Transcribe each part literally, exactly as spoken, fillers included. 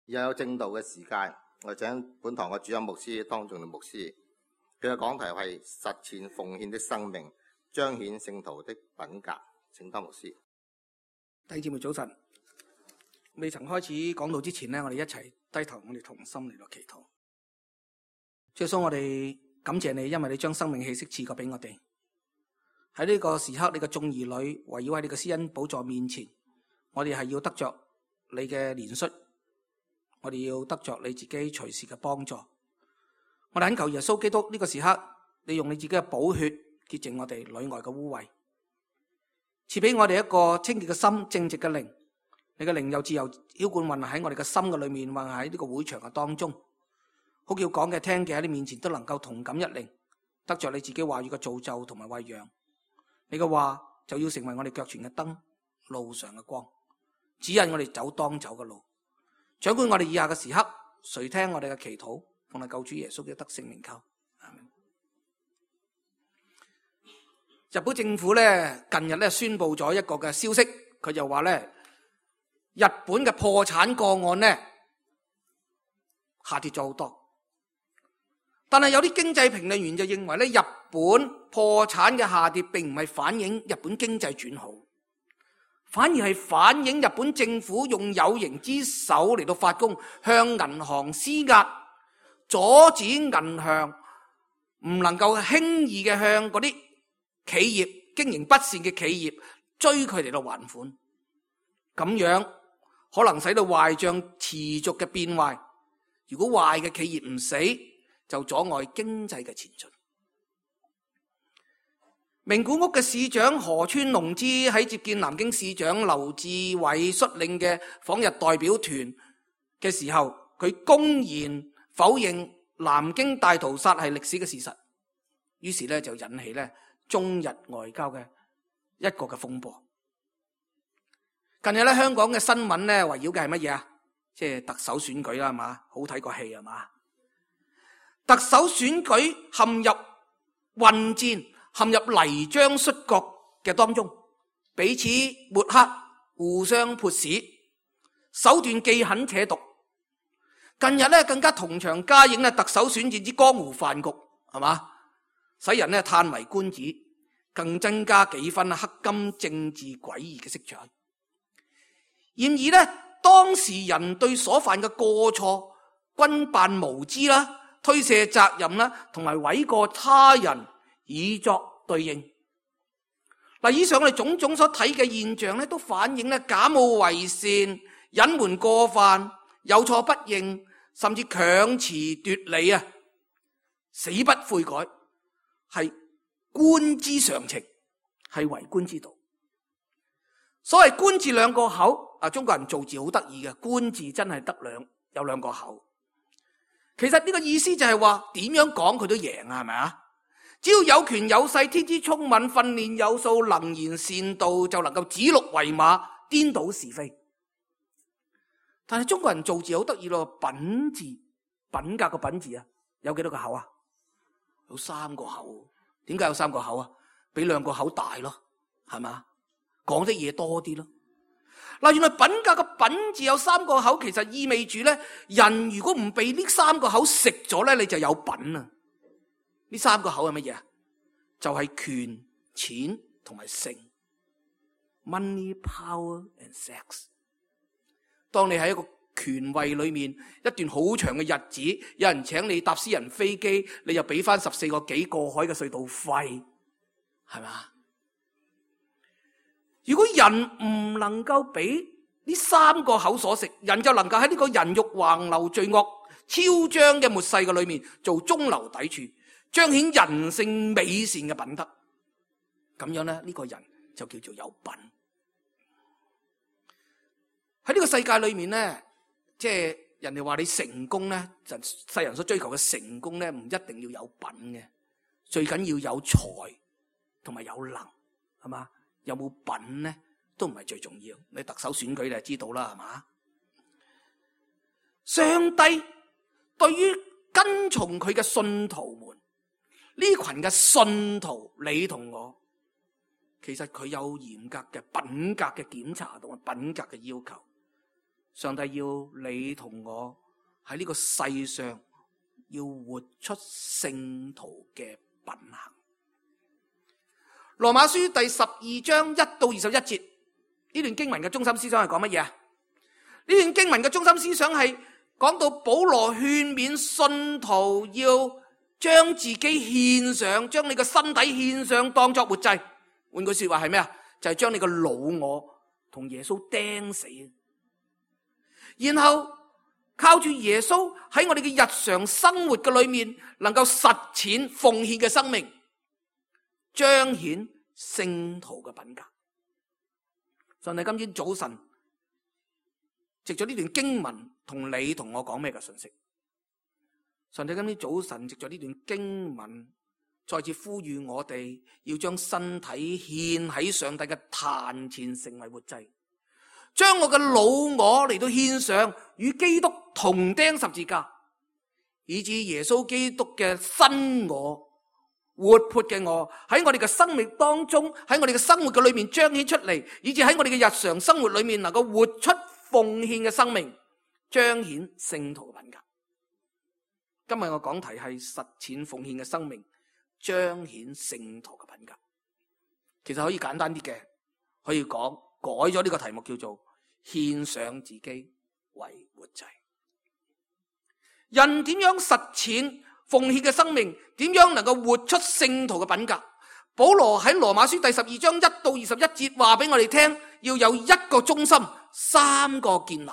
又有正道嘅時間，我請本堂嘅主任牧師湯仲廉牧師，佢嘅講題係實踐奉獻的生命，彰顯聖徒的品格。請湯牧師。弟兄姊妹早晨，未曾開始講道之前呢，我哋一齊低頭，我哋同心嚟到祈禱。主耶穌，我哋感謝你，因為你將生命氣息賜過俾我哋。喺呢個時刻，你嘅眾兒女圍繞喺你嘅施恩寶座面前，我哋係要得着你嘅憐恤，我哋要得着你自己隨時嘅幫助。我哋懇求耶穌基督呢個時刻，你用你自己嘅寶血潔淨我哋裏外嘅污穢，賜俾我哋一個清潔嘅心、正直嘅靈。你嘅靈又自由澆灌運喺我哋嘅心嘅裏面，運喺呢個會場嘅當中，好叫講嘅聽嘅喺你面前都能夠同感一靈，得着你自己話語嘅造就同埋餵養。你嘅話就要成為我哋腳前嘅燈，路上嘅光，指引我哋走當走嘅路。掌管我哋以下嘅時刻，垂聽我哋嘅祈禱，奉我救主耶穌嘅得勝名求。阿們。日本政府咧近日咧宣布咗一個嘅消息，佢就話咧日本嘅破產個案咧下跌咗好多。但係有啲經濟評論員就認為咧，日本破產嘅下跌並唔係反映日本經濟轉好，反而係反映日本政府用有形之手嚟到發功，向銀行施壓，阻止銀行唔能夠輕易嘅向嗰啲企業經營不善嘅企業追佢哋嚟到還款，咁樣可能使到壞賬持續嘅變壞。如果壞嘅企業唔死，就阻礙經濟嘅前進。名古屋嘅市長河村隆之喺接見南京市長劉志偉率領嘅訪日代表團嘅時候，佢公然否認南京大屠殺係歷史嘅事實，於是咧就引起咧中日外交嘅一個嘅風波。近日咧香港嘅新聞咧圍繞嘅係乜嘢啊？即係特首選舉啦，係嘛？好睇個戲係嘛？特首選舉陷入混戰，陷入泥漿摔角嘅當中，彼此抹黑，互相潑屎，手段既狠且毒。近日咧更加同場加映咧特首選戰之江湖飯局，係嘛？使人咧嘆為觀止，更增加幾分黑金政治詭異嘅色彩。然而咧，當事人對所犯嘅過錯均扮無知啦，推卸責任啦，同埋諉過他人以作對應。嗱，以上我哋種種所睇嘅現象咧，都反映咧假冒為善、隱瞞過犯、有錯不認，甚至強詞奪理啊，死不悔改，係官之常情，係為官之道。所謂官字兩個口，啊，中國人造字好得意嘅，官字真係得兩有兩個口。其實呢個意思就係話點樣講佢都贏啊，係咪啊？只要有權有勢，天資聰敏，訓練有素，能言善道，就能夠指鹿為馬，顛倒是非。但係中國人造字好得意咯，品字品格個品字啊，有幾多個口啊？有三個口。點解有三個口啊？比兩個口大咯，係咪？講的嘢多啲咯。嗱，原來品格嘅品字有三個口，其實意味住咧，人如果唔被呢三個口食咗咧，你就有品啊！呢三個口係乜嘢啊？就係權、錢同埋性 ，money, power and sex。當你喺一個權位裏面一段好長嘅日子，有人請你搭私人飛機，你又俾翻十四個幾過海嘅隧道費，係嘛？如果人唔能夠俾呢三個口所食，人就能夠喺呢個人欲橫流、罪惡囂張嘅末世嘅裏面做中流砥柱，彰顯人性美善嘅品德。咁樣咧，呢個人就叫做有品。喺呢個世界裏面咧，即係人哋話你成功咧，就世人所追求嘅成功咧，唔一定要有品嘅，最緊要有才同埋有能，係嘛？有冇品咧，都唔係最重要。你特首選舉你就知道啦，係嘛？上帝對於跟從佢嘅信徒們，呢群嘅信徒，你同我，其實佢有嚴格嘅品格嘅檢查同埋品格嘅要求。上帝要你同我喺呢個世上要活出聖徒嘅品行。羅馬書第十二章一到二十一節，呢段經文嘅中心思想係講乜嘢啊？呢段經文嘅中心思想係講到保羅勸勉信徒要將自己獻上，將你嘅身體獻上當作活祭。換句說話係咩啊？就係將你個老我同耶穌釘死，然後靠住耶穌喺我哋嘅日常生活嘅裏面，能夠實踐奉獻嘅生命，彰顯聖徒嘅品格。上帝今天早晨藉咗呢段經文同你同我講咩嘅信息？上帝今天早晨藉咗呢段經文再次呼籲我哋要將身體獻喺上帝嘅壇前，成為活祭，將我嘅老我嚟到獻上，與基督同釘十字架，以致耶穌基督嘅新我，活潑嘅我喺我哋嘅生命當中，喺我哋嘅生活嘅裏面彰顯出嚟，以致喺我哋嘅日常生活裏面能夠活出奉獻嘅生命，彰顯聖徒嘅品格。今日我講題係實踐奉獻嘅生命，彰顯聖徒嘅品格。其實可以簡單啲嘅，可以講改咗呢個題目叫做獻上自己為活祭。人點樣實踐奉獻嘅生命？點樣能夠活出聖徒嘅品格？保羅喺羅馬書第十二章一到二十一節話俾我哋聽，要有一個中心，三個建立。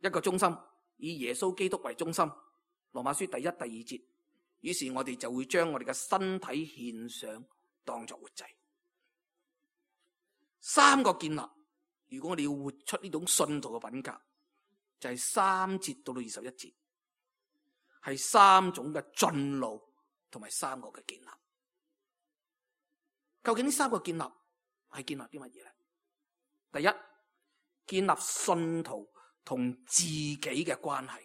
一個中心，以耶穌基督為中心。羅馬書第一、第二節，於是我哋就會將我哋嘅身體獻上，當作活祭。三個建立，如果我哋要活出呢種信徒嘅品格，就係三節到到二十一節，係三種嘅進路同埋三個嘅建立。究竟呢三個建立係建立啲乜嘢咧？第一，建立信徒同自己嘅關係。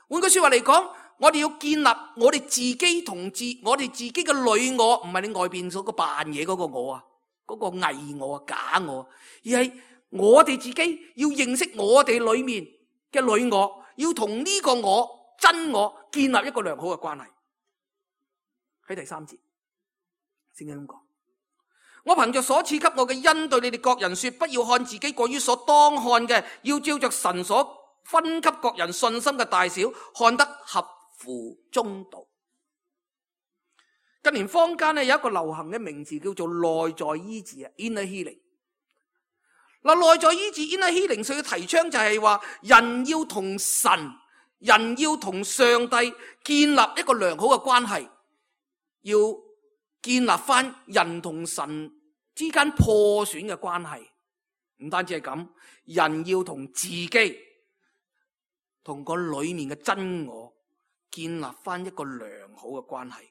換句說話嚟講，我哋要建立我哋自己同自我哋自己嘅女我，唔係你外邊嗰個扮嘢嗰個我啊，嗰個偽我啊、假我，而係我哋自己要認識我哋裏面嘅女我，要同呢個我真我建立一個良好嘅關係。喺第三節，聖經咁講：我憑着所賜給我嘅恩，對你哋各人說，不要看自己過於所當看嘅，要照着神所分給各人信心嘅大小，看得合乎中道。近年坊間咧有一個流行嘅名字叫做內在醫治啊 ，inner healing。嗱，內在醫治 inner healing，佢嘅提倡就係話，人要同神，人要同上帝建立一個良好嘅關係，要建立翻人同神之間破損嘅關係。唔單止係咁，人要同自己，同個裏面嘅真我建立翻一個良好嘅關係。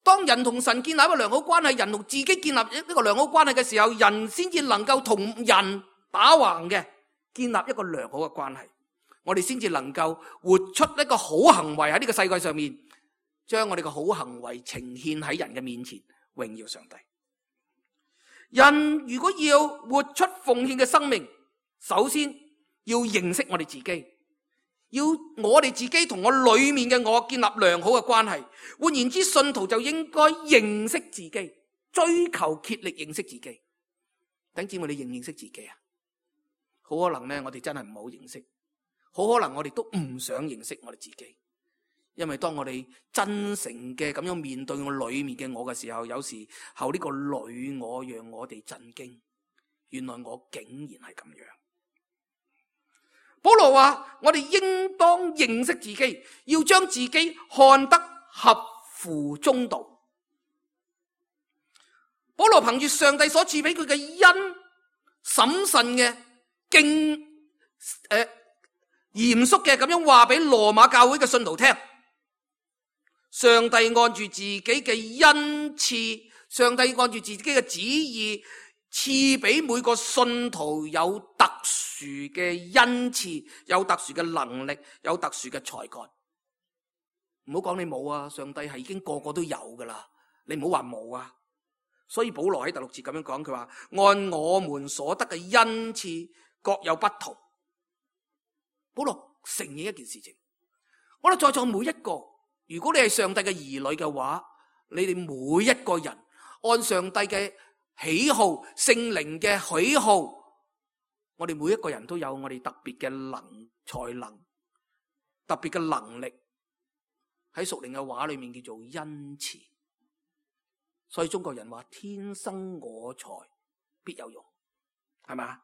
當人同神建立一個良好關係，人同自己建立一個良好關係嘅時候，人先至能夠同人打橫嘅建立一個良好嘅關係。我哋先至能夠活出一個好行為喺呢個世界上面，將我哋嘅好行為呈現喺人嘅面前，榮耀上帝。人如果要活出奉獻嘅生命，首先要認識我哋自己，要我哋自己同我裏面嘅我建立良好嘅關係。換言之，信徒就應該認識自己，追求竭力認識自己。弟兄姊妹，你認唔認識自己啊？好可能咧，我哋真係唔好認識，好可能我哋都唔想認識我哋自己。因為當我哋真誠嘅咁樣面對我裏面嘅我嘅時候，有時候呢個女我讓我哋震驚，原來我竟然係咁樣。保羅話：我哋應當認識自己，要將自己看得合乎中道。保羅憑住上帝所賜俾佢嘅恩，審慎嘅敬誒嚴肅嘅咁樣話俾羅馬教會嘅信徒聽。上帝按住自己嘅恩賜，上帝按住自己嘅旨意，賜俾每個信徒有特殊嘅恩賜，有特殊嘅能力，有特殊嘅才幹。唔好講你冇啊，上帝係已經個個都有噶啦，你唔好話冇啊。所以保羅喺第六節咁樣講，佢話按我們所得嘅恩賜，各有不同。保羅承認一件事情，我哋在座每一個，如果你係上帝嘅兒女嘅話，你哋每一個人按上帝嘅喜好、聖靈嘅喜好，我哋每一個人都有我哋特別嘅能才能、特別嘅能力，喺屬靈嘅話裏面叫做恩賜。所以中國人話天生我材必有用，係咪？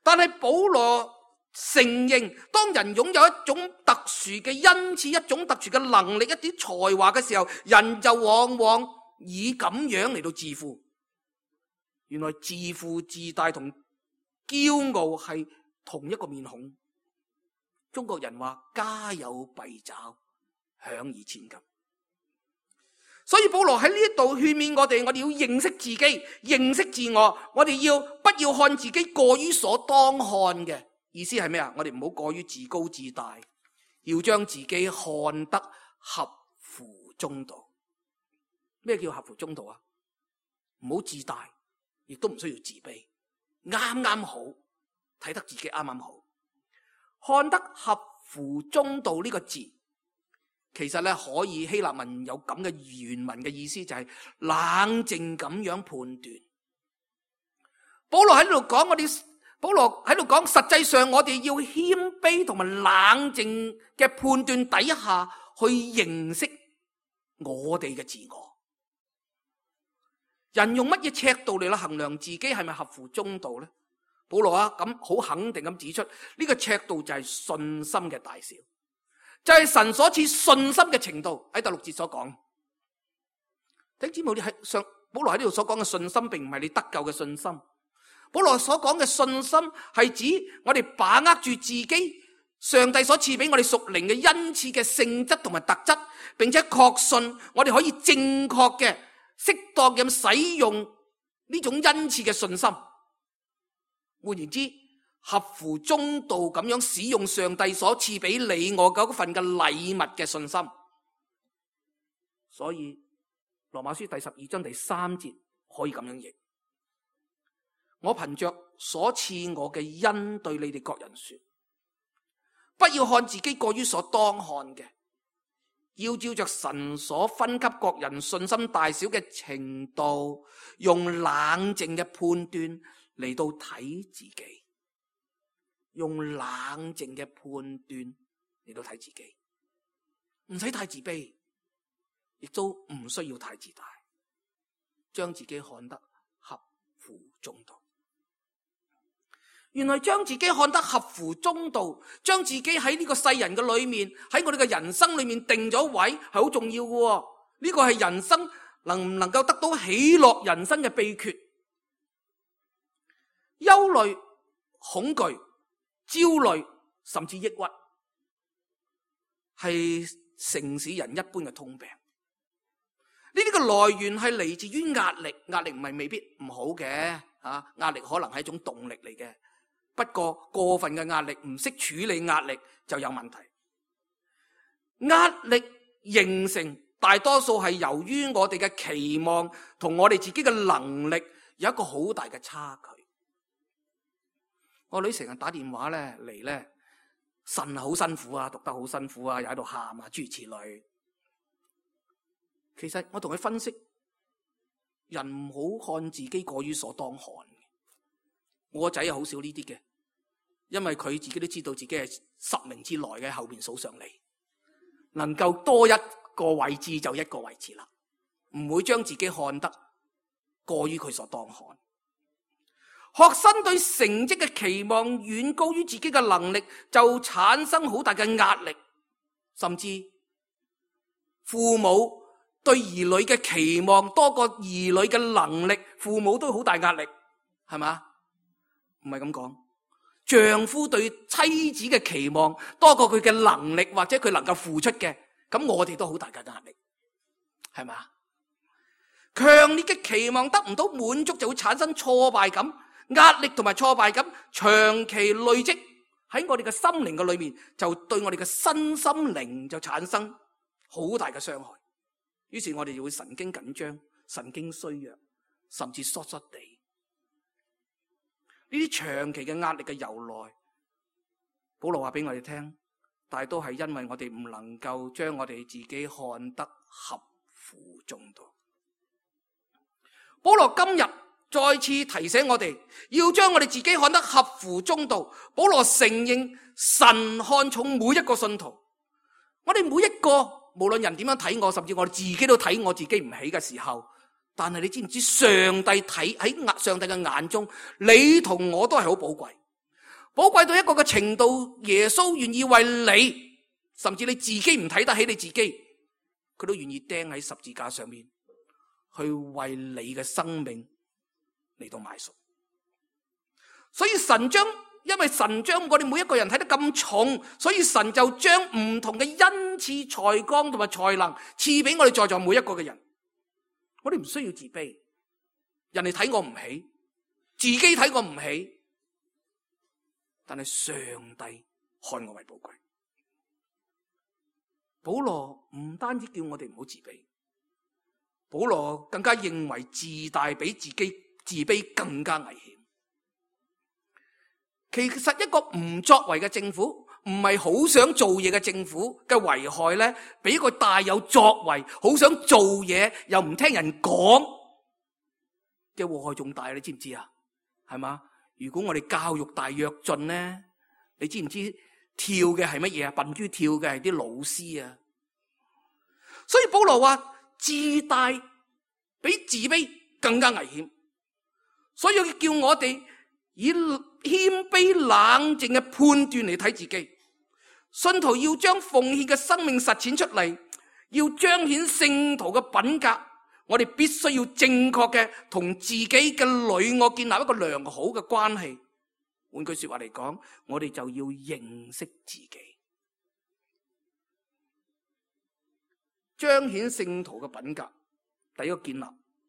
但係保羅承認，當人擁有一種特殊嘅恩賜、一種特殊嘅能力、一啲才華嘅時候，人就往往以咁樣嚟到自負。原來自負自大同驕傲係同一個面孔。中國人話家有敝屣，享而千金。所以保羅喺呢一度勸勉我哋，我哋要認識自己，認識自我，我哋要不要看自己過於所當看嘅。意思係咩啊？我哋唔好過於自高自大，要將自己看得合乎中道。咩叫合乎中道啊？唔好自大，亦都唔需要自卑，啱啱好，睇得自己啱啱好。看得合乎中道呢個字，其實咧可以希臘文有咁嘅原文嘅意思，就係冷靜咁樣判斷。保羅喺呢度講我哋。保羅喺度講，實際上我哋要謙卑同埋冷靜嘅判斷底下去認識我哋嘅自我。人用乜嘢尺度嚟衡量自己係咪合乎中道呢？保羅啊，咁好肯定咁指出，呢個尺度就係信心嘅大小，就係神所賜信心嘅程度。喺第六節所講，弟兄姊妹，你喺上保羅喺呢度所講嘅信心，並唔係你得救嘅信心。保羅所講嘅信心係指我哋把握住自己上帝所賜俾我哋屬靈嘅恩賜嘅性質同埋特質，並且確信我哋可以正確嘅、適當咁使用呢種恩賜嘅信心。換言之，合乎中道咁樣使用上帝所賜俾你我嗰份嘅禮物嘅信心。所以羅馬書第十二章第三節可以咁樣譯。我憑着所賜我嘅恩對你哋各人說，不要看自己過於所當看嘅，要照着神所分給各人信心大小嘅程度，用冷靜嘅判斷嚟到睇自己，用冷靜嘅判斷嚟到睇自己，唔使太自卑，亦都唔需要太自大，將自己看得合乎中道。原來將自己看得合乎中道，將自己喺呢個世人嘅裏面，喺我哋嘅人生裏面定咗位，係好重要嘅。呢個係人生能唔能夠得到喜樂人生嘅秘訣。憂慮、恐懼、焦慮，甚至抑鬱，係城市人一般嘅通病。呢啲嘅來源係嚟自於壓力，壓力唔係未必唔好嘅，啊，壓力可能係一種動力嚟嘅。不過過分嘅壓力，唔識處理壓力就有問題。壓力形成大多數係由於我哋嘅期望同我哋自己嘅能力有一個好大嘅差距。我女成日打電話咧嚟咧，呻好辛苦啊，讀得好辛苦啊，又喺度喊啊，諸如此類。其實我同佢分析，人唔好看自己過於所當看。我個仔係好少呢啲嘅，因為佢自己都知道自己係十名之內嘅，後邊數上嚟，能夠多一個位置就一個位置啦，唔會將自己看得過於佢所當看。學生對成績嘅期望遠高於自己嘅能力，就產生好大嘅壓力，甚至父母對兒女嘅期望多過兒女嘅能力，父母都好大壓力，係嘛？唔係咁講，丈夫對妻子嘅期望多過佢嘅能力或者佢能夠付出嘅，咁我哋都好大嘅壓力，係嘛？強烈嘅期望得唔到滿足，就會產生挫敗感。壓力同埋挫敗感長期累積喺我哋嘅心靈嘅裏面，就對我哋嘅身心靈就產生好大嘅傷害。於是我哋就會神經緊張、神經衰弱，甚至疏疏地。呢啲長期嘅壓力嘅由來，保羅話俾我哋聽，但係都係因為我哋唔能夠將我哋自己看得合乎中道。保羅今日再次提醒我哋，要將我哋自己看得合乎中道。保羅承認神看重每一個信徒，我哋每一個無論人點樣睇我，甚至我哋自己都睇我自己唔起嘅時候，但係你知唔知上帝睇喺上帝嘅眼中，你同我都係好寶貴，寶貴到一個嘅程度，耶穌願意為你，甚至你自己唔睇得起你自己，佢都願意釘喺十字架上面，去為你嘅生命嚟到買贖。所以神將因為神將我哋每一個人睇得咁重，所以神就將唔同嘅恩賜、才幹同埋才能賜俾我哋在座每一個嘅人。我哋唔需要自卑，人哋睇我唔起，自己睇我唔起，但係上帝看我為寶貴。保羅唔單止叫我哋唔好自卑，保羅更加認為自大比自己自卑更加危險。其實一個唔作為嘅政府，唔係好想做嘢嘅政府嘅危害咧，比一個大有作為、好想做嘢又唔聽人講嘅禍害仲大，你知唔知啊？係嘛？如果我哋教育大躍進咧，你知唔知跳嘅係乜嘢啊？笨豬跳嘅係啲老師啊！所以保羅話自大比自卑更加危險，所以叫我哋以謙卑冷靜嘅判斷嚟睇自己。信徒要將奉獻嘅生命實踐出嚟，要彰顯聖徒嘅品格，我哋必須要正確嘅同自己嘅女我建立一個良好嘅關係。換句說話嚟講，我哋就要認識自己，彰顯聖徒嘅品格。第一個建立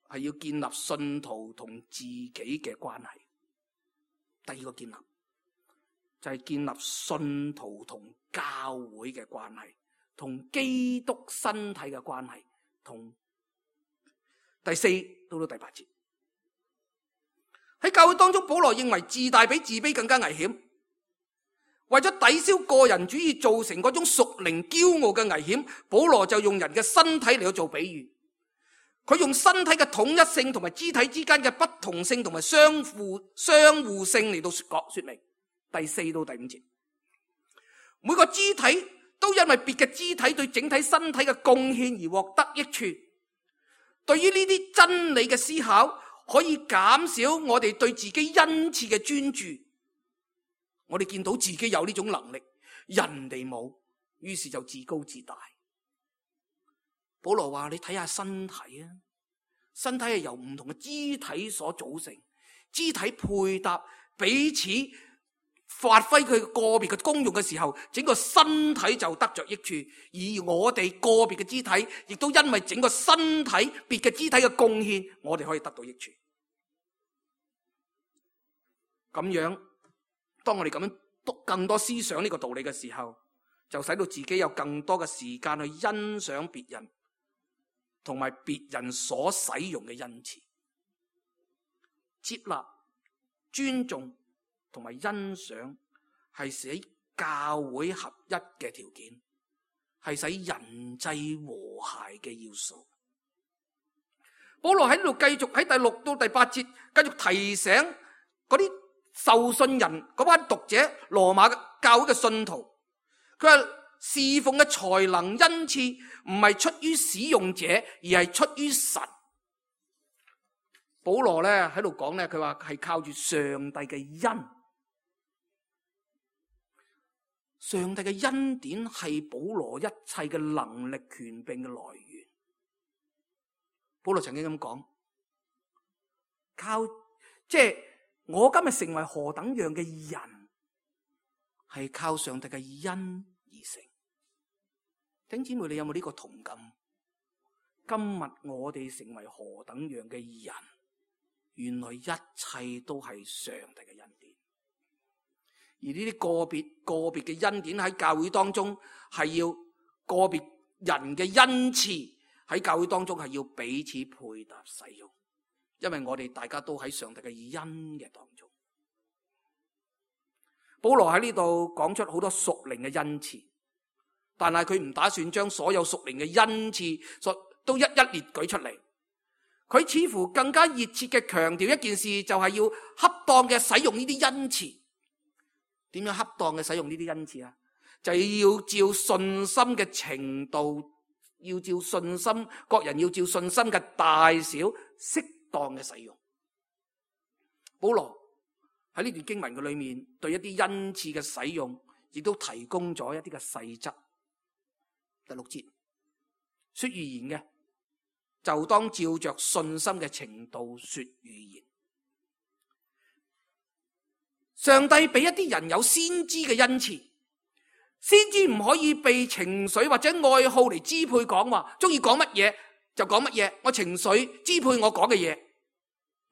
係要建立信徒同自己嘅關係。第二個建立就係建立信徒同教會嘅關係，同基督身體嘅關係。同第四到到第八節，喺教會當中，保羅認為自大比自卑更加危險。為咗抵消個人主義造成嗰種屬靈驕傲嘅危險，保羅就用人嘅身體嚟到做比喻。佢用身體嘅統一性同埋肢體之間嘅不同性同埋相互相互性嚟到說說明。第四到第五節，每個肢體都因為別嘅肢體對整體身體嘅貢獻而獲得益處。對於呢啲真理嘅思考，可以減少我哋對自己恩賜嘅專注。我哋見到自己有呢種能力，人哋冇，於是就自高自大。保羅話：你睇下身體啊，身體係由唔同嘅肢體所組成，肢體配搭彼此發揮佢個別嘅功用嘅時候，整個身體就得着益處。而我哋個別嘅肢體，亦都因為整個身體別嘅肢體嘅貢獻，我哋可以得到益處。咁樣，當我哋咁樣讀更多思想呢個道理嘅時候，就使到自己有更多嘅時間去欣賞別人，同埋別人所使用嘅恩賜，接納、尊重同埋欣賞，係使教會合一嘅條件，係使人際和諧嘅要素。保羅喺呢度繼續喺第六到第八節繼續提醒嗰啲受信人嗰班讀者，羅馬教會嘅信徒，佢話侍奉嘅才能恩賜唔係出於使用者，而係出於神。保羅咧喺度講咧，佢話係靠住上帝嘅恩，上帝嘅恩典係保羅一切嘅能力權柄嘅來源。保羅曾經咁講，靠即係我今日成為何等樣嘅人，係靠上帝嘅恩而成。弟兄姊妹，你有冇呢個同感？今日我哋成為何等樣嘅人，原來一切都係上帝嘅恩典。而呢啲個別個別嘅恩典喺教會當中，係要個別人嘅恩賜喺教會當中係要彼此配搭使用，因為我哋大家都喺上帝嘅恩嘅當中。保羅喺呢度講出好多屬靈嘅恩賜，但係佢唔打算將所有屬靈嘅恩賜都一一列舉出嚟。佢似乎更加熱切嘅強調一件事，就係要恰當嘅使用呢啲恩賜。點樣恰當嘅使用呢啲恩賜啊？就係要照信心嘅程度，要照信心，各人要照信心嘅大小，適當嘅使用。保羅喺呢段經文嘅裏面，對一啲恩賜嘅使用，亦都提供咗一啲嘅細則。第六節，說預言嘅，就當照着信心嘅程度說預言。上帝俾一啲人有先知嘅恩賜，先知唔可以被情緒或者愛好嚟支配講話，中意講乜嘢就講乜嘢，我情緒支配我講嘅嘢，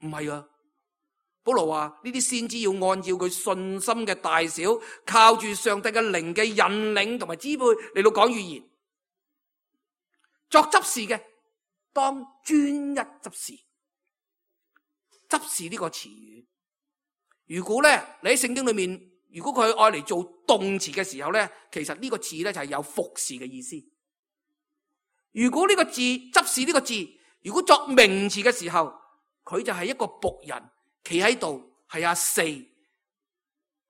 唔係啊。保羅話呢啲先知要按照佢信心嘅大小，靠住上帝嘅靈嘅引領同埋支配嚟到講預言。作執事嘅，當專一執事。執事呢個詞語，如果咧你喺聖經裏面，如果佢愛嚟做動詞嘅時候咧，其實呢個字咧就係有服侍嘅意思。如果呢個字執事呢個字，如果作名詞嘅時候，佢就係一個僕人。企喺度係阿四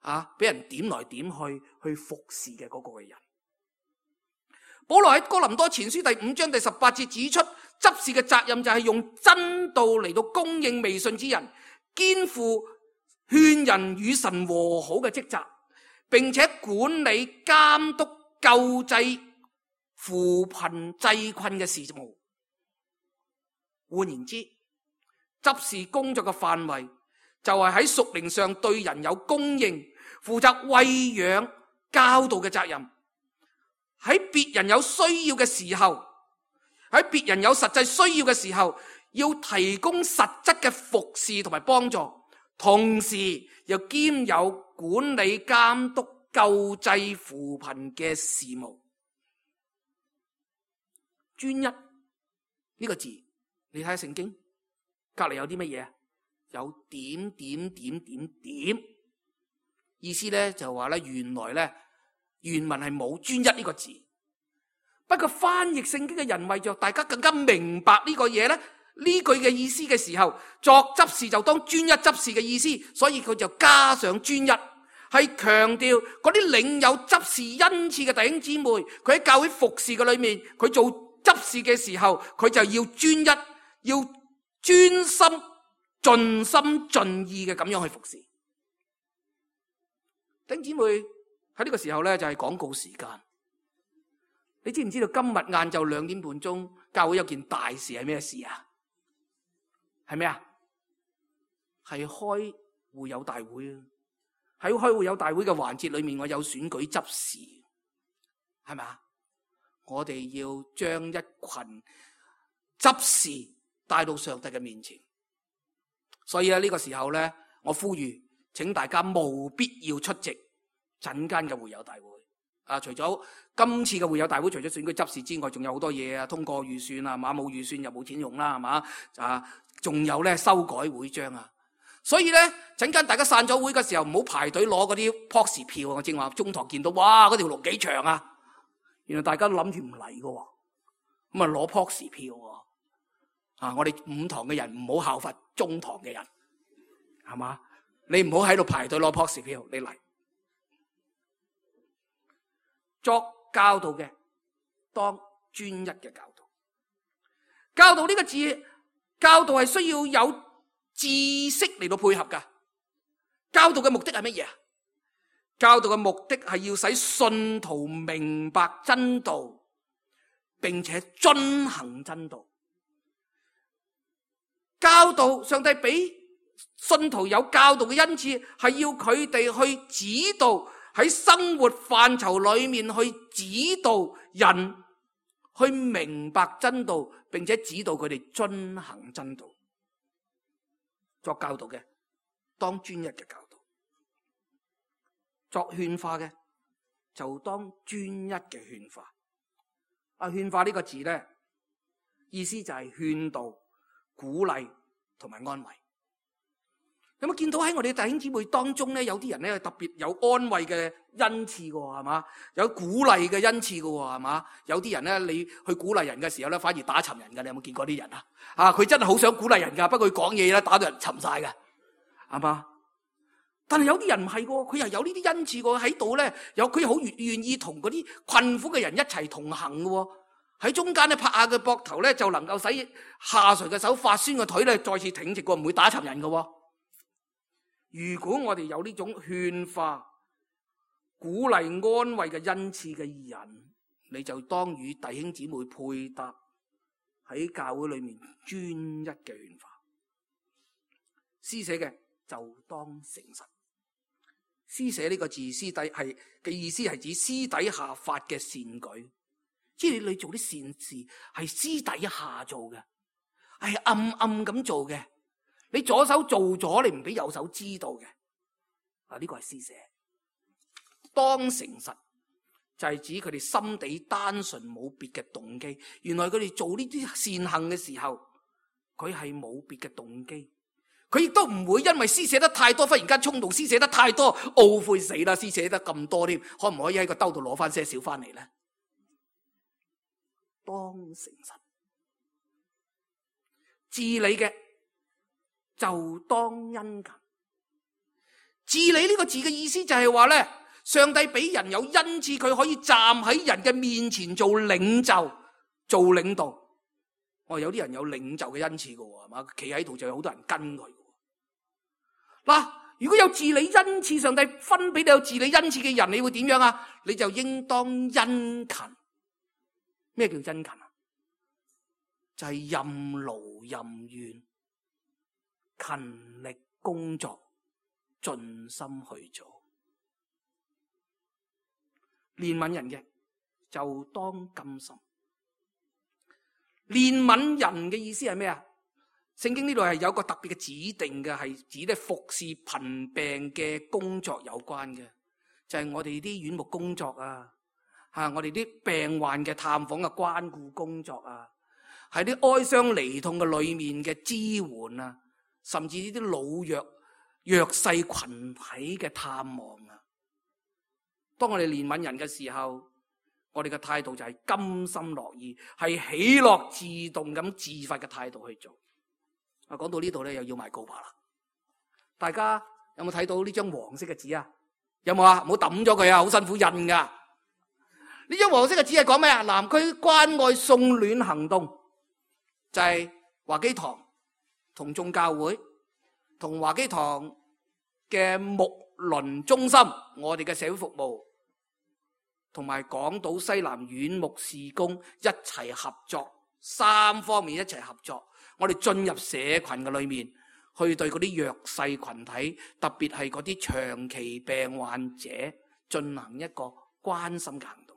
啊，俾人點來點去去服侍嘅嗰個嘅人。保羅喺哥林多前書第五章第十八節指出，執事嘅責任就係用真道嚟到供應未信之人，肩負勸人與神和好嘅職責，並且管理監督救濟扶貧濟困嘅事務。換言之，執事工作嘅範圍就係喺屬靈上對人有供應，負責餵養教導嘅責任。喺別人有需要嘅時候，喺別人有實際需要嘅時候，要提供實質嘅服侍同埋幫助，同時又兼有管理監督救濟扶貧嘅事務。專一呢個字，你睇下聖經隔籬有啲乜嘢？有點點點點點，意思咧就話咧，原來咧原文係冇專一呢個字。不過翻譯聖經嘅人為着大家更加明白呢個嘢咧，呢句嘅意思嘅時候，作執事就當專一執事嘅意思，所以佢就加上專一，係強調嗰啲領有執事恩賜嘅弟兄姊妹，佢喺教會服侍嘅裏面，佢做執事嘅時候，佢就要專一，要專心。盡心盡意嘅咁樣去服侍。弟兄姊妹，喺呢個時候咧就係廣告時間。你知唔知道今日晏晝兩點半鐘教會有件大事係咩事啊？係咩啊？係開會友大會啊！喺開會友大會嘅環節裏面，我有選舉執事，係咪啊？我哋要將一群執事帶到上帝嘅面前。所以咧呢個時候咧，我呼籲，請大家務必要出席陣間嘅會友大會。啊，除咗今次嘅會友大會，除咗選舉執事之外，仲有好多嘢啊，通過預算啊，馬冇預算又冇錢用啦，係嘛？啊，仲有咧修改會章啊。所以咧，陣間大家散咗會嘅時候，唔好排隊攞嗰啲 P O S 票啊！我正話中堂見到，哇，嗰條龍幾長啊！原來大家都諗住唔嚟㗎喎，咁啊攞 P O S 票喎。啊！我哋五堂嘅人唔好效法中堂嘅人，係嘛？你唔好喺度排隊攞 P O S 票，你嚟作教導嘅，當專一嘅教導。教導呢個字，教導係需要有知識嚟到配合噶。教導嘅目的係乜嘢啊？教導嘅目的係要使信徒明白真道，並且遵行真道。教導，上帝俾信徒有教導嘅恩賜，係要佢哋去指導，喺生活範疇裏面去指導人去明白真道，並且指導佢哋遵行真道。作教導嘅，當專一嘅教導；作勸化嘅，就當專一嘅勸化。啊，勸化呢個字咧，意思就係勸導、鼓勵同埋安慰。有冇見到喺我哋弟兄姊妹當中咧，有啲人咧特別有安慰嘅恩賜嘅喎，係嘛？有鼓勵嘅恩賜嘅喎，係嘛？有啲人咧，你去鼓勵人嘅時候咧，反而打沉人嘅。你有冇見過啲人啊？啊，佢真係好想鼓勵人㗎，不過佢講嘢咧打到人沉晒嘅，係嘛？但係有啲人唔係喎，佢又有呢啲恩賜喎，喺度咧，有佢好願願意同嗰啲困苦嘅人一齊同行嘅喎，喺中間咧拍下佢膊頭咧，就能夠使下垂嘅手發酸嘅腿咧再次挺直過，唔會打沉人嘅喎。如果我哋有呢種勸化、鼓勵、安慰嘅恩賜嘅人，你就當與弟兄姊妹配搭喺教會裏面專一嘅勸化。施捨嘅就當誠實。施捨呢個字，私底係嘅意思係指私底下發嘅善舉，即係你做啲善事係私底下做嘅，係暗暗咁做嘅。你左手做咗，你唔俾右手知道嘅，啊呢個係施捨。當誠實就係指佢哋心地單純，冇別嘅動機。原來佢哋做呢啲善行嘅時候，佢係冇別嘅動機。佢亦都唔會因為施捨得太多，忽然間衝動施捨得太多，懊悔死啦！施捨得咁多添，可唔可以喺個兜度攞翻些少翻嚟咧？當誠實，治理嘅就當殷勤。治理呢個字嘅意思就係話咧，上帝俾人有恩賜，佢可以站喺人嘅面前做領袖、做領導。我、哦、有啲人有領袖嘅恩賜嘅喎，係嘛？企喺度就有好多人跟佢。嗱，如果有治理恩賜，上帝分俾你有治理恩賜嘅人，你會點樣啊？你就應當殷勤。咩叫殷勤啊？就係、是、任勞任怨，勤力工作，盡心去做。憐憫人嘅就當甘心。憐憫人嘅意思係咩啊？聖經呢度係有個特別嘅指定嘅，係指咧服侍貧病嘅工作有關嘅，就係、是、我哋啲院牧工作啊，吓我哋啲病患嘅探訪嘅關顧工作啊，喺啲哀傷離痛嘅裏面嘅支援啊，甚至呢啲老弱弱勢群體嘅探望啊。當我哋憐憫人嘅時候，我哋嘅態度就係甘心樂意，係喜樂自動咁自發嘅態度去做。啊，講到呢度咧，又要賣告白啦。大家有冇睇到呢張黃色嘅紙啊？有冇啊？唔好抌咗佢啊，好辛苦印噶。呢張黃色嘅紙係講咩啊？南區關愛送暖行動，就係華基堂同眾教會同華基堂嘅牧鄰中心，我哋嘅社會服務，同埋港島西南院牧事工一齊合作，三方面一齊合作，我哋進入社群嘅裏面，去對嗰啲弱勢群體，特別係嗰啲長期病患者，進行一個關心嘅行動。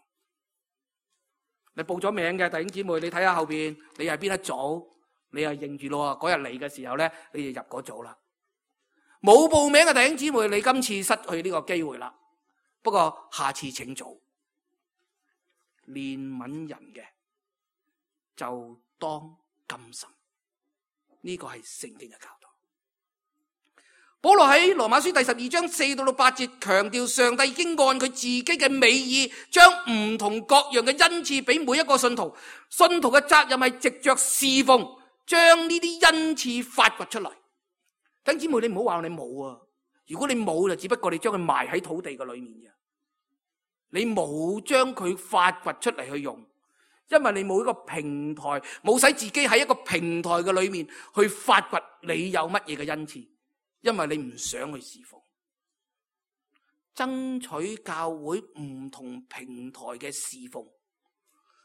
你報咗名嘅弟兄姊妹，你睇下後邊，你係邊一組，你係認住咯。嗰日嚟嘅時候咧，你就入嗰組啦。冇報名嘅弟兄姊妹，你今次失去呢個機會啦。不過下次請做。憐憫人嘅就當甘心，呢個係聖經嘅教導。保羅喺羅馬書第十二章四到到八節強調，上帝已經按佢自己嘅美意，將唔同各樣嘅恩賜俾每一個信徒。信徒嘅責任係藉着侍奉，將呢啲恩賜發掘出嚟。弟兄姊妹，你唔好話你冇啊！如果你冇，就只不過你將佢埋喺土地嘅裏面嘅。你冇將佢發掘出嚟去用，因為你冇一個平台，冇使自己喺一個平台嘅裏面去發掘你有乜嘢嘅恩賜，因為你唔想去侍奉，爭取教會唔同平台嘅侍奉，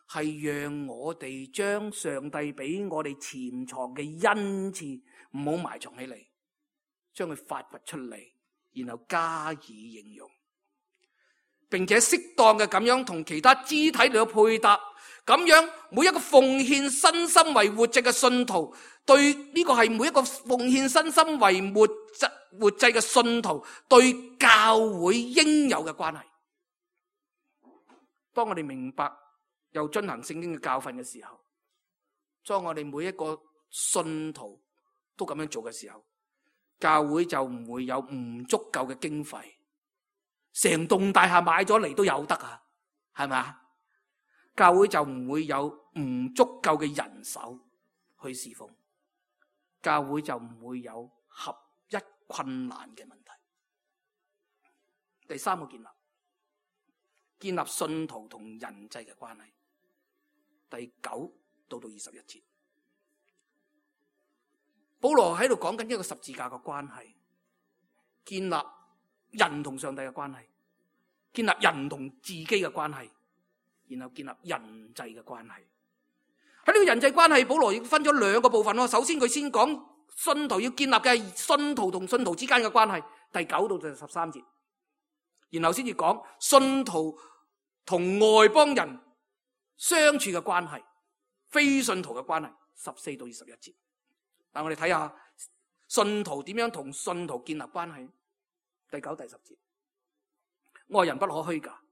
係讓我哋將上帝俾我哋潛藏嘅恩賜唔好埋藏起嚟，將佢發掘出嚟，然後加以應用。並且適當嘅咁樣同其他肢體嚟到配搭，咁樣每一個奉獻身心為活祭嘅信徒，對呢個係每一個奉獻身心為活祭活祭嘅信徒對教會應有嘅關係。當我哋明白又遵行聖經嘅教訓嘅時候，當我哋每一個信徒都咁樣做嘅時候，教會就唔會有唔足夠嘅經費，成棟大廈買咗嚟都有得啊，係咪？教會就唔會有唔足夠嘅人手去侍奉，教會就唔會有合一困難嘅問題。第三個建立，建立信徒同人際嘅關係。第九到到二十一節，保羅喺度講緊一個十字架嘅關係，建立人同上帝嘅關係，建立人同自己嘅關係，然後建立人際嘅關係。喺呢個人際關係，保羅亦分咗兩個部分咯。首先佢先講信徒要建立嘅係信徒同信徒之間嘅關係，第九到第十三節，然後先至講信徒同外邦人相處嘅關係，非信徒嘅關係，十四到二十一節。但我哋睇下信徒點樣同信徒建立關係。第九、第十節，愛人不可虛假，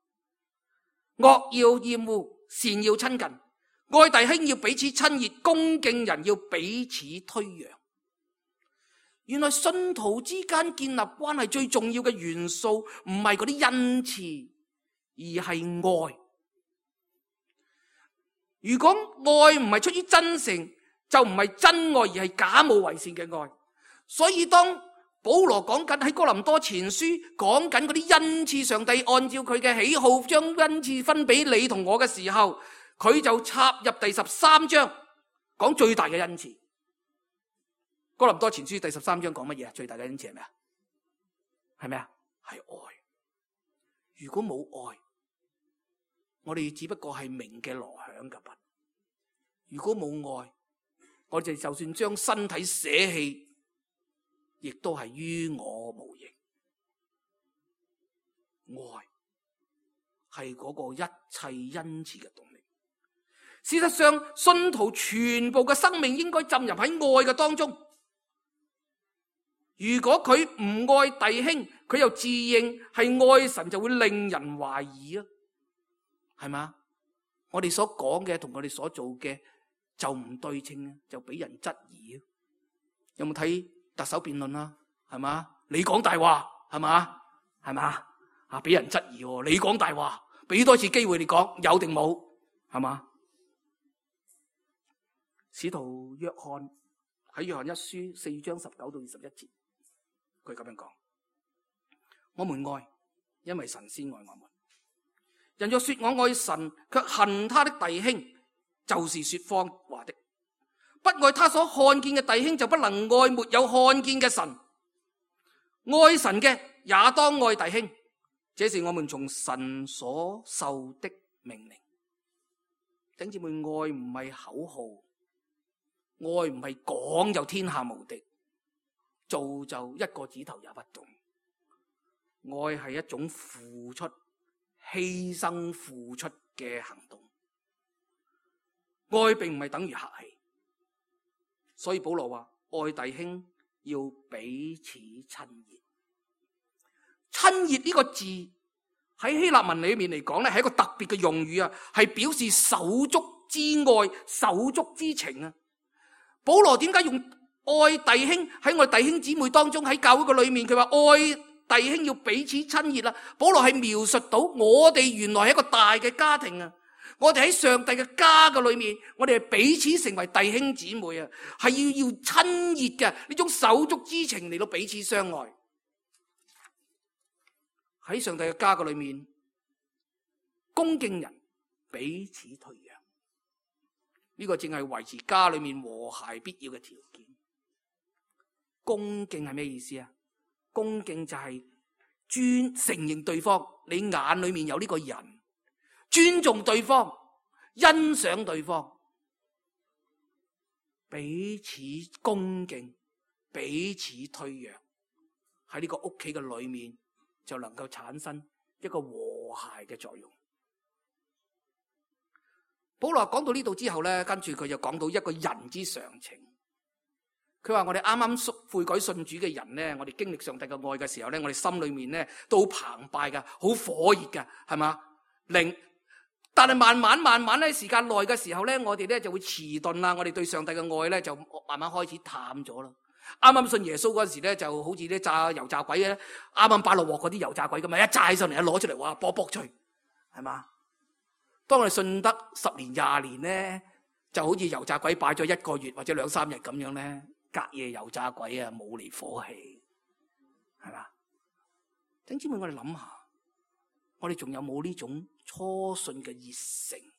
惡要厭惡，善要親近，愛弟兄要彼此親熱，恭敬人要彼此推讓。原來信徒之間建立關係最重要嘅元素唔係嗰啲恩賜，而係愛。如果愛唔係出於真誠，就唔係真愛，而係假冒為善嘅愛。所以當保羅講緊喺哥林多前書講緊嗰啲恩賜，上帝按照佢嘅喜好將恩賜分俾你同我嘅時候，佢就插入第十三章講最大嘅恩賜。哥林多前書第十三章講乜嘢？最大嘅恩賜係咩啊？係咩啊？係愛。如果冇愛，我哋只不過係鳴嘅鑼響嘅鈸。如果冇愛，我哋就算將身體捨棄，亦都係於我無益。愛係嗰個一切恩賜嘅動力。事實上，信徒全部嘅生命應該浸入喺愛嘅當中。如果佢唔愛弟兄，佢又自認係愛神，就會令人懷疑啊，係嘛？我哋所講嘅同我哋所做嘅就唔對稱啊，就俾人質疑啊。有冇睇特首辯論啊？係嘛？你講大話係嘛？係嘛？啊，俾人質疑喎，你講大話，俾多次機會你講，有定冇？係嘛？使徒約翰喺約翰一書四章十九到二十一節，佢咁樣講：我們愛，因為神先愛我們。人若說我愛神，卻恨他的弟兄，就是說謊話的。不愛他所看見嘅弟兄，就不能愛沒有看見嘅神。愛神嘅也當愛弟兄，這是我們從神所受的命令。弟兄姊妹，愛唔係口號，愛唔係講就天下無敵，做就一個指頭也不動。愛係一種付出、犧牲、付出嘅行動。愛並唔係等於客氣，所以保羅話愛弟兄要彼此親熱。親熱呢個字喺希臘文裏面嚟講咧，係一個特別嘅用語啊，係表示手足之愛、手足之情啊。保羅點解用愛弟兄喺我哋弟兄姊妹當中，喺教會嘅裏面，佢話愛弟兄要彼此親熱啦。保羅係描述到我哋原來係一個大嘅家庭啊，我哋喺上帝嘅家嘅裏面，我哋係彼此成為弟兄姊妹啊，係要要親熱嘅呢種手足之情嚟到彼此相愛。喺上帝嘅家嘅裏面，恭敬人，彼此退讓，呢個正係維持家裏面和諧必要嘅條件。恭敬係咩意思啊？恭敬就係尊承認對方，你眼裏面有呢個人，尊重對方，欣賞對方，彼此恭敬，彼此退讓，喺呢個屋企嘅裏面就能夠產生一個和諧嘅作用。保羅講到呢度之後咧，跟住佢就講到一個人之常情。佢話我哋啱啱悔改信主嘅人咧，我哋經歷上帝嘅愛嘅時候咧，我哋心裏面咧都好澎湃噶，好火熱噶，係嘛？靈，但係慢慢慢慢咧，時間耐嘅時候咧，我哋咧就會遲鈍啦，我哋對上帝嘅愛咧就慢慢開始淡咗啦。啱啱信耶穌嗰時咧，就好似啲炸油炸鬼咧，啱啱擺落鑊嗰啲油炸鬼咁啊，一炸起上嚟，一攞出嚟，哇，卜卜脆，係嘛？當我哋信得十年廿年咧，就好似油炸鬼擺咗一個月或者兩三日咁樣咧，隔夜油炸鬼啊，冇離火氣，係嘛？弟兄姊妹，我哋諗下，我哋仲有冇呢種初信嘅熱誠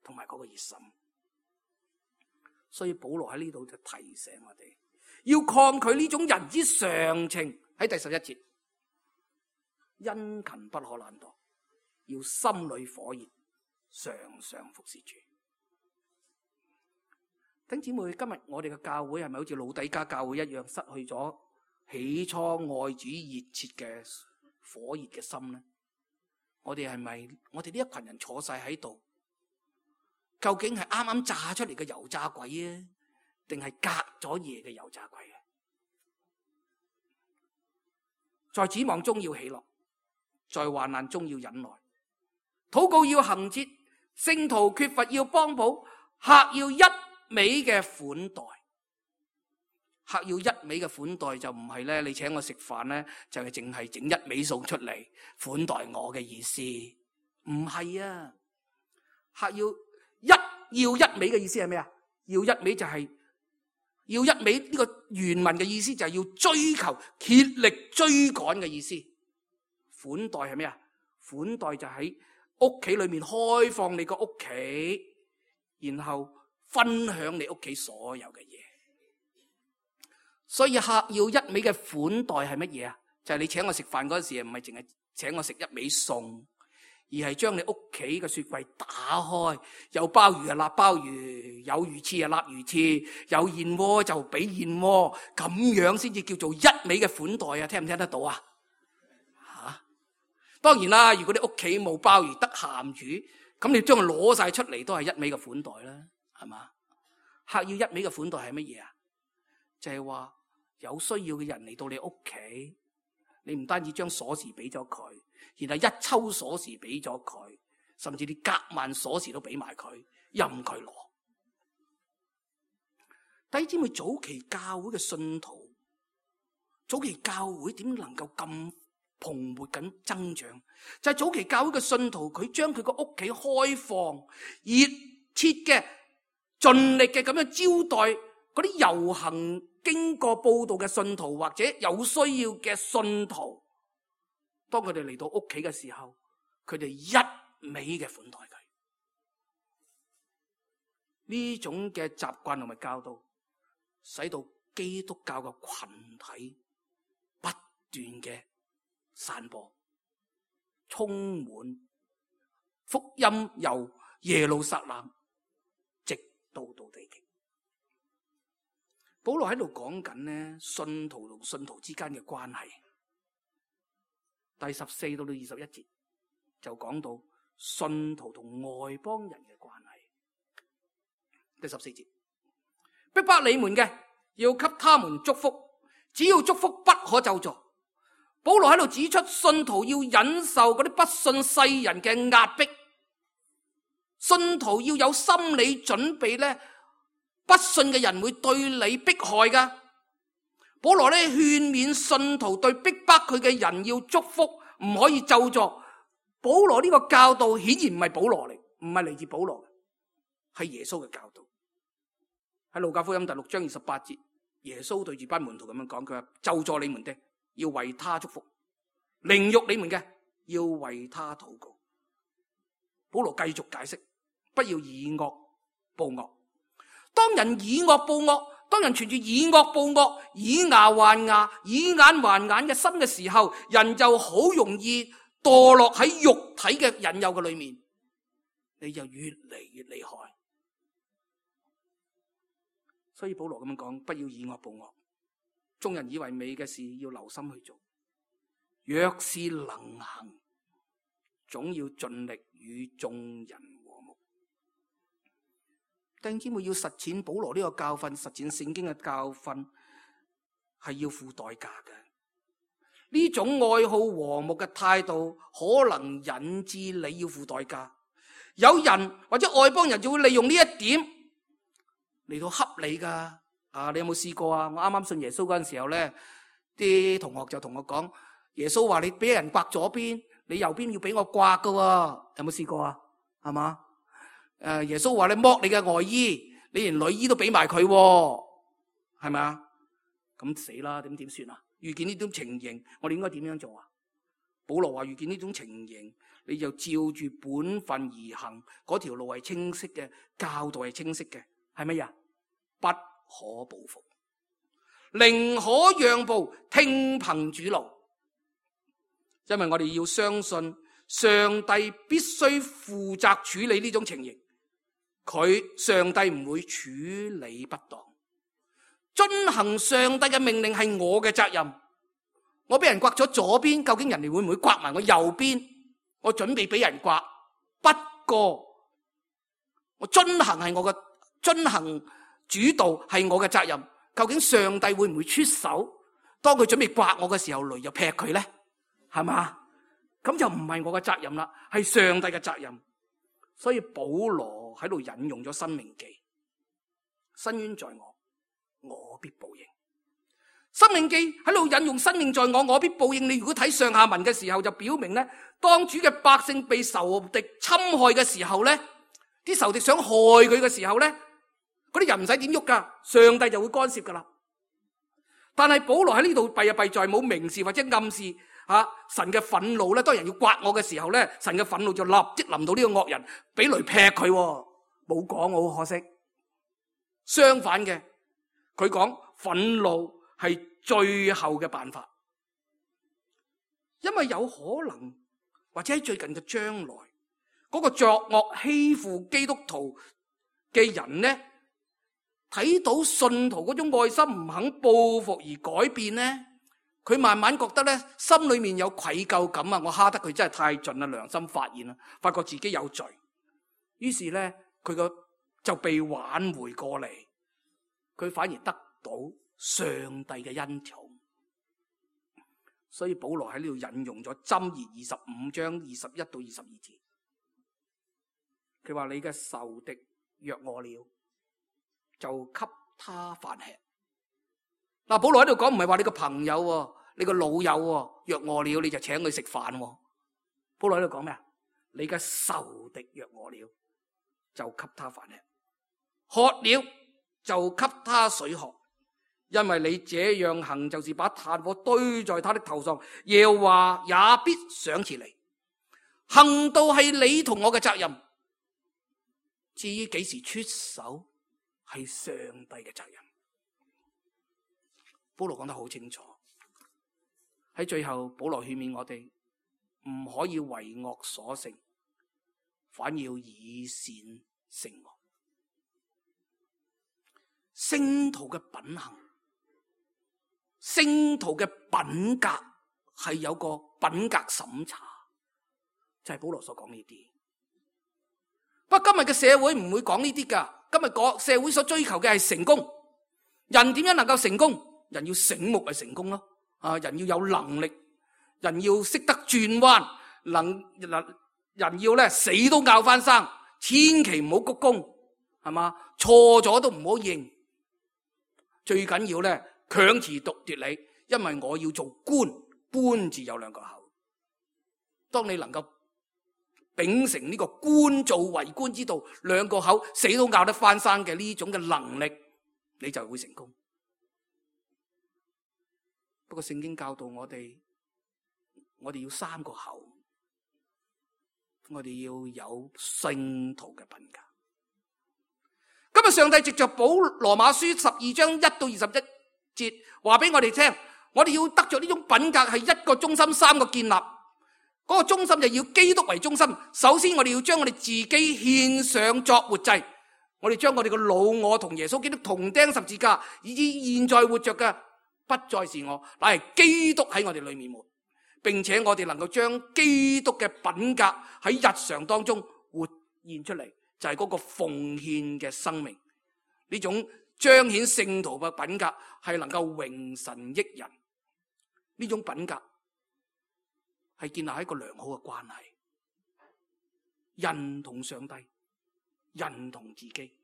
同埋嗰個熱心？所以保羅喺呢度就提醒我哋，要抗拒呢種人之常情。喺第十一節，殷勤不可懶惰，要心裏火熱，常常服侍主。弟兄姊妹，今日我哋嘅教會係咪好似老底嘉教會一樣，失去咗起初愛主熱切嘅火熱嘅心呢？我哋係咪我哋呢一群人坐晒喺度，究竟係啱啱炸出嚟嘅油炸鬼啊，定係隔咗夜嘅油炸鬼啊？在指望中要喜樂，在患難中要忍耐，禱告要恆切，聖徒缺乏要幫補，客要一味嘅款待。客要一味嘅款待就唔係咧，你請我食飯咧，就係淨係整一味餸出嚟款待我嘅意思，唔係啊。客要一要一味嘅意思係咩啊？要一味就係、是、要一味，呢個原文嘅意思就係要追求竭力追趕嘅意思。款待係咩啊？款待就喺屋企裏面開放你個屋企，然後分享你屋企所有嘅嘢。所以客要一味嘅款待係乜嘢啊？就係、是、你請我食飯嗰時，唔係淨係請我食一味餸，而係將你屋企嘅雪櫃打開，有鮑魚啊立鮑魚，有魚翅啊立魚翅，有燕窩就俾燕窩，咁樣先至叫做一味嘅款待啊！聽唔聽得到啊？吓，當然啦，如果你屋企冇鮑魚得鹹魚，咁你將佢攞晒出嚟都係一味嘅款待啦，係嘛？客要一味嘅款待係乜嘢啊？就係、是、話有需要嘅人嚟到你屋企，你唔單止將鎖匙俾咗佢，然後一抽鎖匙俾咗佢，甚至你夾萬鎖匙都俾埋佢，任佢攞。弟兄姊妹，早期教會嘅信徒，早期教會點能夠咁蓬勃緊增長？就係、是、早期教會嘅信徒，佢將佢個屋企開放、熱切嘅、盡力嘅咁樣招待嗰啲遊行經過報道嘅信徒，或者有需要嘅信徒。當佢哋嚟到屋企嘅時候，佢哋一味嘅款待佢。呢種嘅習慣同埋教導，使到基督教嘅群體不斷嘅散播，充滿福音由耶路撒冷直到到地極。保羅喺度講緊呢，信徒同信徒之間嘅關係。第十四到到二十一節就講到信徒同外邦人嘅關係。第十四節，逼迫你們嘅要給他們祝福，只要祝福不可咒詛。保羅喺度指出，信徒要忍受嗰啲不信世人嘅壓迫，信徒要有心理準備咧，不信嘅人會對你迫害噶。保羅咧勸勉信徒對逼迫佢嘅人要祝福，唔可以咒詛。保羅呢個教導顯然唔係保羅嚟，唔係嚟自保羅，係耶穌嘅教導。喺路加福音第六章二十八節，耶穌對住班門徒咁樣講，佢話咒詛你們的要為他祝福，凌辱你們嘅要為他禱告。保羅繼續解釋，不要以惡報惡。當人以惡報惡，當人存住以惡報惡、以牙還牙、以眼還眼嘅心嘅時候，人就好容易墮落喺肉體嘅引誘嘅裏面，你就越嚟越厲害。所以保羅咁樣講，不要以惡報惡。眾人以為美嘅事要留心去做，若是能行，總要盡力與眾人和睦。弟兄姊妹，要實踐保羅呢個教訓，實踐聖經嘅教訓，係要付代價嘅。呢種愛好和睦嘅態度，可能引致你要付代價。有人或者外邦人就會利用呢一點嚟到恰你噶，啊，你有冇試過啊？我啱啱信耶穌嗰陣時候咧，啲同學就同我講，耶穌話你俾人刮左邊，你右邊要俾我刮噶喎，有冇試過啊？係嘛？誒，耶穌話你剝你嘅外衣，你連內衣都俾埋佢，係咪啊？咁死啦，點點算啊？遇見呢種情形，我哋應該點樣做啊？保羅話遇見呢種情形，你就照住本分而行，嗰條路係清晰嘅，教導係清晰嘅，係乜嘢？不可報復，寧可讓步，聽憑主怒。因為我哋要相信上帝必須負責處理呢種情形，佢上帝唔會處理不當。遵行上帝嘅命令係我嘅責任。我俾人刮咗左邊，究竟人哋會唔會刮埋我右邊？我準備俾人刮，不過我遵行係我嘅遵行主導係我嘅責任。究竟上帝會唔會出手？當佢準備刮我嘅時候，雷就劈佢咧，係嘛？咁就唔係我嘅責任啦，係上帝嘅責任。所以保羅喺度引用咗申命記，伸冤在我，我必報應。申命記喺度引用申命在我，我必報應。你如果睇上下文嘅時候，就表明咧，當主嘅百姓被仇敵侵害嘅時候咧，啲仇敵想害佢嘅時候咧，嗰啲人唔使點喐噶，上帝就會干涉噶啦。但係保羅喺呢度弊啊弊在冇明示或者暗示吓神嘅憤怒咧。當人要刮我嘅時候咧，神嘅憤怒就立即臨到呢個惡人，俾雷劈佢，冇講，好可惜。相反嘅，佢講憤怒係最後嘅辦法，因為有可能或者喺最近嘅將來，嗰個作惡欺負基督徒嘅人呢，睇到信徒嗰種愛心唔肯報復而改變呢，佢慢慢覺得呢，心裏面有愧疚感啊！我蝦得佢真係太盡啦，良心發現啦，發覺自己有罪，於是呢，佢個就被挽回過嚟，佢反而得到上帝嘅恩寵。所以保羅喺呢度引用咗箴言二十五章二十一到二十二節，佢話你嘅仇敵若餓了，就給他飯吃。嗱，保羅喺度講唔係話你個朋友，你個老友若餓了你就請佢食飯。保羅喺度講咩啊？你嘅仇敵若餓了，就給他飯吃，渴了就給他水喝。因為你這樣行，就是把炭火堆在他的頭上，耶和華也必賞賜你。行道係你同我嘅責任，至於幾時出手，係上帝嘅責任。保羅講得好清楚，喺最後保羅勸勉我哋唔可以為惡所勝，反要以善勝惡。聖徒嘅品行，聖徒嘅品格係有個品格審查，就係保羅所講呢啲。不過今日嘅社會唔會講呢啲噶，今日個社會所追求嘅係成功。人點樣能夠成功？人要醒目係成功咯，啊，人要有能力，人要識得轉彎，能人要咧死都拗翻生，千祈唔好鞠躬，係嘛？錯咗都唔好認，最緊要咧強詞奪理，因為我要做官，官字有兩個口。當你能夠秉承呢個官做為官之道，兩個口死都拗得翻生嘅呢種嘅能力，你就會成功。不過聖經教導我哋，我哋要三個口，我哋要有聖徒嘅品格。今日上帝藉着保羅馬書十二章一到二十一節話俾我哋聽，我哋要得着呢種品格係一個中心，三個建立。嗰個中心就要基督為中心。首先我哋要將我哋自己獻上作活祭，我哋將我哋嘅老我同耶穌基督同釘十字架，以至現在活着嘅不再是我，乃係基督喺我哋裏面活，並且我哋能夠將基督嘅品格喺日常當中活現出嚟，就係嗰個奉獻嘅生命。呢種彰顯聖徒嘅品格係能夠榮神益人，呢種品格係建立喺一個良好嘅關係，人同上帝，人同自己，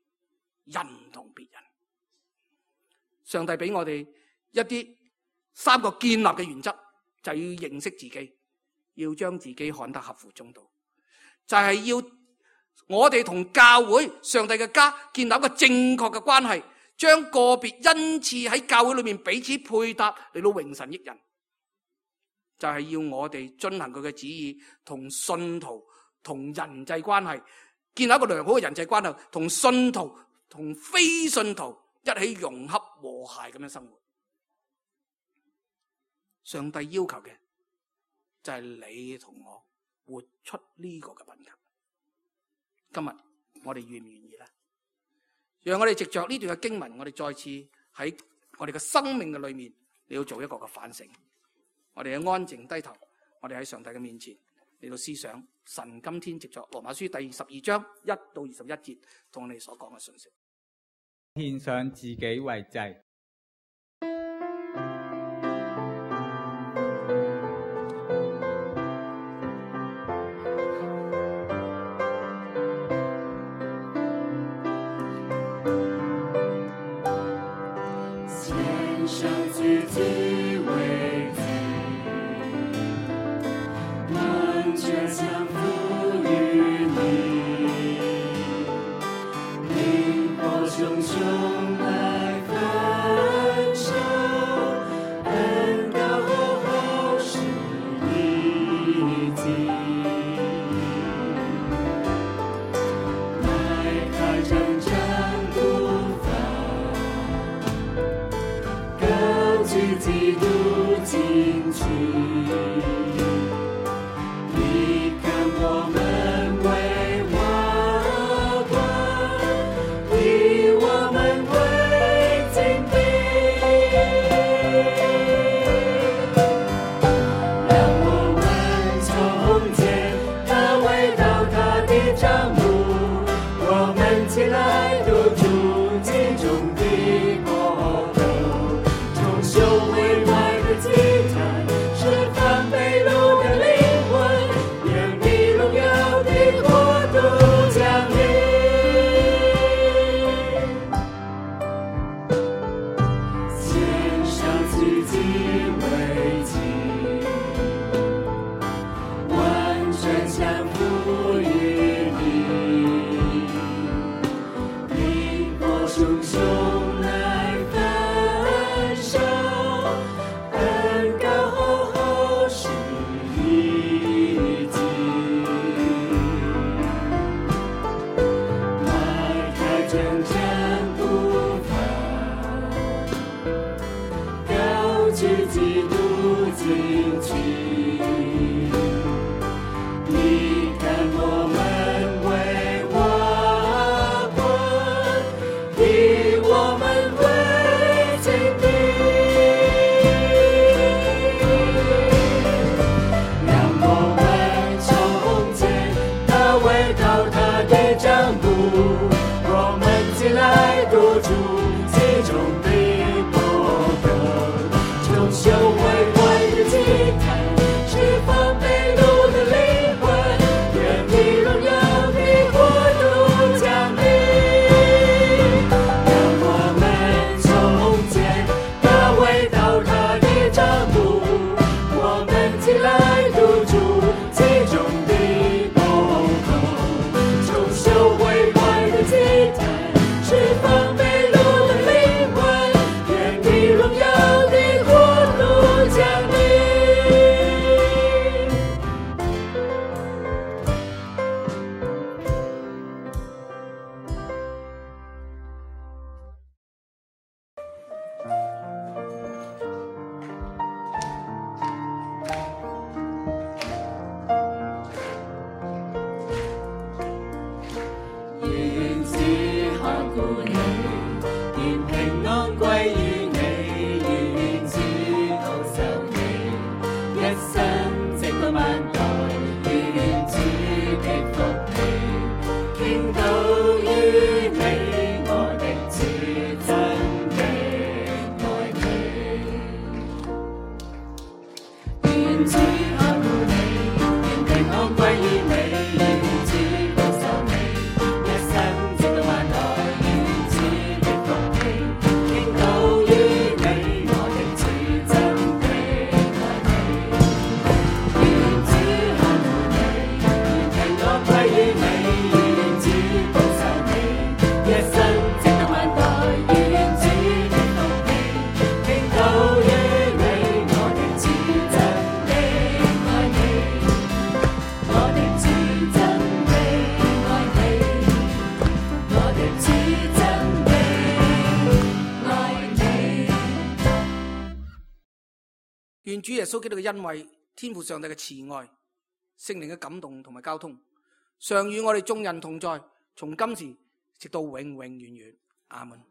人同別人。上帝俾我哋一啲三個建立嘅原則，就要認識自己，要將自己看得合乎中道，就係要我哋同教會、上帝嘅家建立一個正確嘅關係，將個別恩賜喺教會裏面彼此配搭嚟到榮神益人，就係要我哋遵行佢嘅旨意，同信徒同人際關係建立一個良好嘅人際關係，同信徒同非信徒一起融合和諧咁樣生活。上帝要求嘅就係你同我活出呢個嘅品格。今日我哋願唔願意呢？讓我哋藉着呢段嘅經文，我哋再次喺我哋嘅生命嘅裏面，你要做一個嘅反省。我哋嘅安靜低頭，我哋喺上帝嘅面前嚟到思想神今天藉着羅馬書第十二章一到二十一節同我哋所講嘅信息。獻上自己為祭。是方北路願主耶穌基督嘅恩惠、天父上帝嘅慈愛、聖靈嘅感動同埋交通，常與我哋眾人同在，從今時直到永永遠遠。阿門。